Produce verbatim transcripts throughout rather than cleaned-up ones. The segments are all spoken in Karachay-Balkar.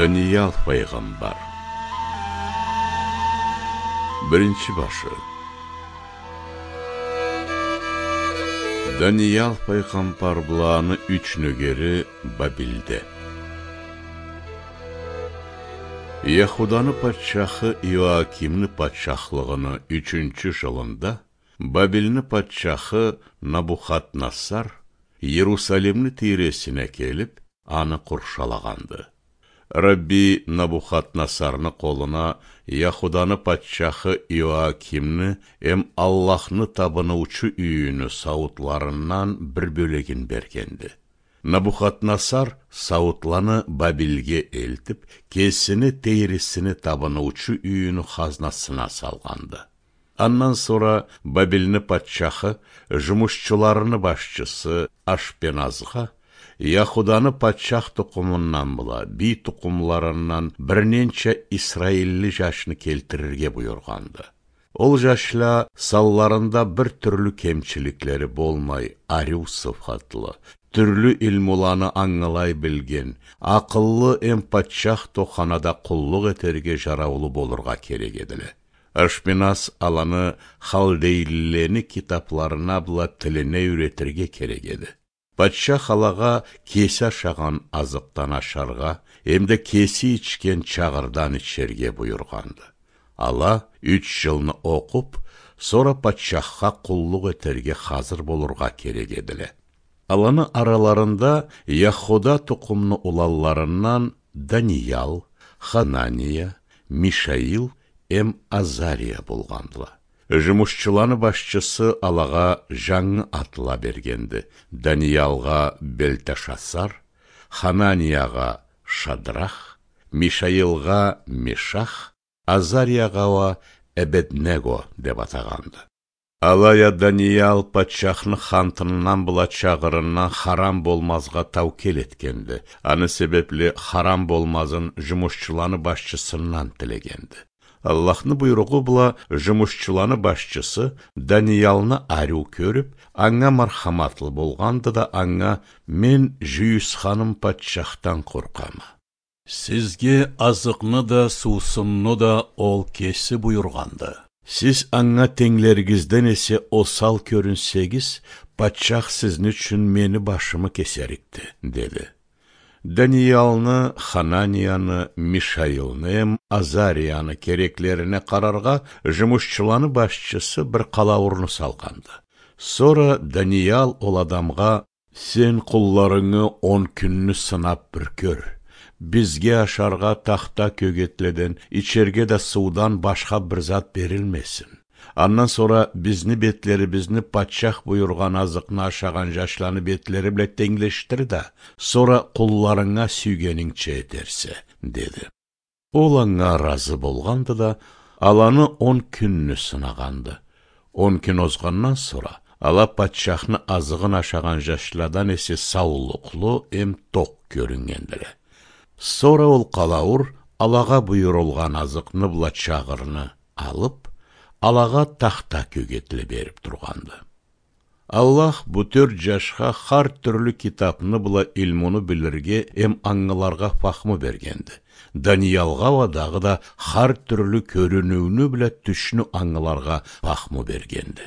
Даниял файгъамбар. Биринчи башы. Даниял файгъамбар бла аны юч нёгери Бабилде. Яхуданы патчахы Иоакимни патчахлыгъыны ючюнчю жылында Бабилни патчахы Набухаднасар Иерусалимни тийресине келип, аны къуршалагъанды. Рабби Набухаднасарны къолуна Яхуданы патчахы Иоакимни эм Аллахны табыныучу юйюню сауутларындан бир бёлегин бергенди. Набухаднасар сауутланы Бабилге элтип, кесини тийресини табыныучу юйюню хазнасына салгъанды. Андан сора Бабилни патчахы жумушчуларыны башчысы Ашпеназгъа Яхуданы патчах тукъумундан бла бий тукъумларындан бир ненча исраилли жашны келтирирге буюргъанды. Ол жашла санларында бир тюрлю кемчиликлери болмай, ариу сыфатлы, тюрлю илмуланы ангылай билген, акъыллы эм патчах тоханада къуллукъ этерге жараулу болургъа керек эдиле. Ашпеназ аланы халдейлилени китапларына бла тилине юйретирге керек эди. Патчах алагъа кеси ашагъан азыкъдан ашаргъа, эмда кеси ичген чагъырдан ичерге буюргъанды. Ала юч жылны окъуп, сора патчахха къуллукъ этерге хазыр болургъа керек эдиле. Аланы араларында Яхуда тукъумну уланларындан Даниял, Ханания, Мишаил эм Азария болгъандыла. Жумушчуланы башчысы алагъа жангы атла бергенди: Даниялгъа Белтешасар, Хананиягъа Шадрах, Мишаилгъа Мешах, Азариягъа уа Эбеднего деп атагъанды. Алай а Даниял патчахны хантындан бла чагъырындан харам болмазгъа таукел этгенди. Аны себепли харам болмазын жумушчуланы башчысындан тилегенди. Аллахны буйругъу бла жумушчуланы башчысы Даниялны ариу кёрюп, анга мархаматлы болгъанды да, анга: «Мен жюйюсханым патчахдан къоркъама. Сизге азыкъны да, суусунну да ол кеси буюргъанды. Сиз анга тенглеригизден эсе осал кёрюнсегиз, патчах сизни ючюн мени башымы кесерикди», — деди. Даниялны, Хананияны, Мишаилни эм Азарияны кереклерине къараргъа, жумушчуланы башчысы бир къалаурну салгъанды. Сора Даниял ол адамгъа: «Сен къулларынгы он кюнню сынап бир кёр. Бизге ашаргъа тахта кёгетледен, ичерге да суудан башха бир зат берилмесин. Андан сора бизни бетлерибизни патчах буюргъан азыкъны ашагъан жашланы бетлери бла тенглешдир да, сора къулларынга сюйгенингча этерсе», — деди. Ол анга ыразы болгъанды да, аланы он кюнню сынагъанды. Он кюн озгъандан сора, ала патчахны азыгъын ашагъан жашладан эсе саулукълу эм токъ кёрюннгендиле. Сора ол къалауур алагъа буюрулгъан азыкъны бла чагъырны алып, алагъа тахта кёгетле берип тургъанды. Аллах бу тёрт жашха хар тюрлю китапны бла илмуну билирге эм ангыларгъа фахму бергенди. Даниялгъа уа дагъыда хар тюрлю кёрюнюуню бла тюшню ангыларгъа фахму бергенди.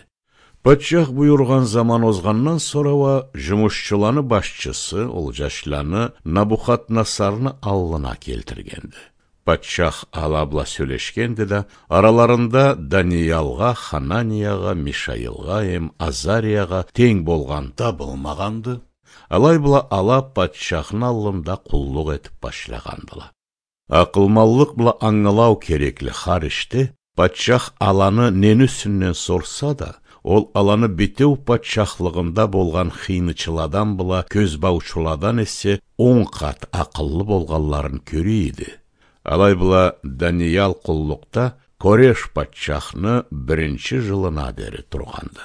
Патчах буюргъан заман озгъандан сора уа жумушчуланы башчысы ол жашланы Набухаднасарны аллына келтиргенди. Патчах ала бла сёлешгенди да, араларында Даниялгъа, Хананиягъа, Мишаилгъа эм Азариягъа тенг болгъан табылмагъанды. Алай бла ала патчахны аллында къуллукъ этип башлагъандыла. Акъылманлыкъ бла ангылау керекли хар ишде патчах аланы нени юсюнден сорса да, ол аланы битеу патчахлыгъында болгъан хыйнычыладан бла кёзбаучуладан эсе он къат акъыллы болгъанларын кёре эди. Алай бла Даниял къуллукъда Кореш патчахны биринчи жылына дери тургъанды.